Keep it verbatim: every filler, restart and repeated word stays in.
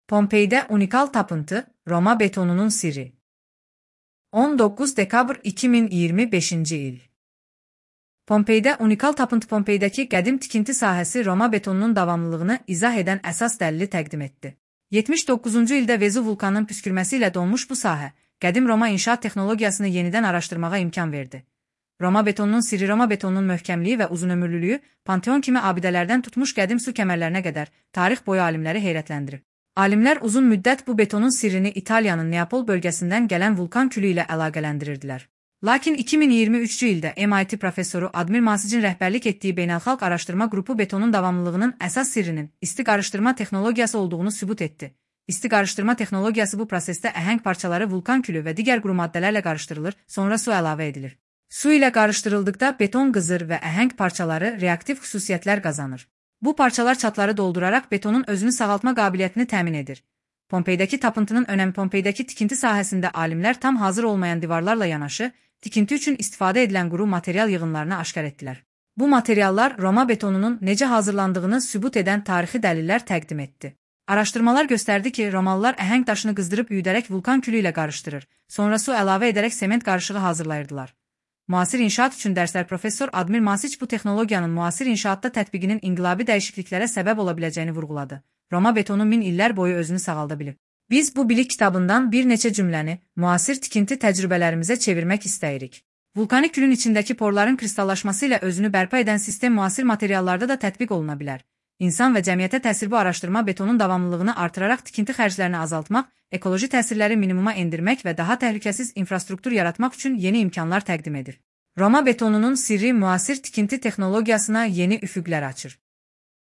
Pompei'de unikal tapıntı, Roma betonunun sirri. on dokuz dekabr iki min iyirmi beşinci il. Pompei'de unikal tapıntı Pompei'deki qədim tikinti sahəsi Roma betonunun davamlılığını izah edən əsas dəlili təqdim etdi. yetmiş doqquzuncu ildə Vezuv vulkanının püskürməsi ilə donmuş bu sahə, qədim Roma inşaat texnologiyasını yenidən araşdırmağa imkan verdi. Roma betonunun sirri Roma betonunun möhkəmliyi və uzunömürlülüyü, Panteon kimi abidələrdən tutmuş qədim su kəmərlərinə qədər tarix boyu alimləri heyrətləndirib. Alimlər uzun müddət bu betonun sirrini İtaliyanın Neapol bölgəsindən gələn vulkan külü ilə əlaqələndirirdilər. Lakin iki min iyirmi üçüncü ildə M I T professoru Admir Masicin rəhbərlik etdiyi beynəlxalq araşdırma qrupu betonun davamlılığının əsas sirrinin isti qarışdırma texnologiyası olduğunu sübut etdi. İsti qarışdırma texnologiyası bu prosesdə əhəng parçaları vulkan külü və digər quru maddələrlə qarışdırılır, sonra su əlavə edilir. Su ilə qarışdırıldıqda beton qızır və əhəng parçaları reaktiv xüsusiyyətlər qazanır. Bu parçalar çatları dolduraraq betonun özünü sağaltma qabiliyyətini təmin edir. Pompeydəki tapıntının önəmi Pompeydəki tikinti sahəsində alimlər tam hazır olmayan divarlarla yanaşı, tikinti üçün istifadə edilən quru material yığınlarını aşkar etdilər. Bu materiallar Roma betonunun necə hazırlandığını sübut edən tarixi dəlillər təqdim etdi. Araşdırmalar göstərdi ki, Romalılar əhəng daşını qızdırıb üyüdərək vulkan külü ilə qarışdırır, sonra su əlavə edərək sement qarışığı hazırlayırdılar. Müasir inşaat üçün dərslər professor Admir Masic bu texnologiyanın müasir inşaatda tətbiqinin inqilabi dəyişikliklərə səbəb ola biləcəyini vurğuladı. Roma betonu min illər boyu özünü sağalda bilib. Biz bu bilik kitabından bir neçə cümləni müasir tikinti təcrübələrimizə çevirmək istəyirik. Vulkanik külün içindəki porların kristallaşması ilə özünü bərpa edən sistem müasir materiallarda da tətbiq oluna bilər. İnsan və cəmiyyətə təsir bu araşdırma betonun davamlılığını artıraraq tikinti xərclərini azaltmaq, ekoloji təsirləri minimuma endirmək və daha təhlükəsiz infrastruktur yaratmaq üçün yeni imkanlar təqdim edir. Roma betonunun sirri müasir tikinti texnologiyasına yeni üfüqlər açır.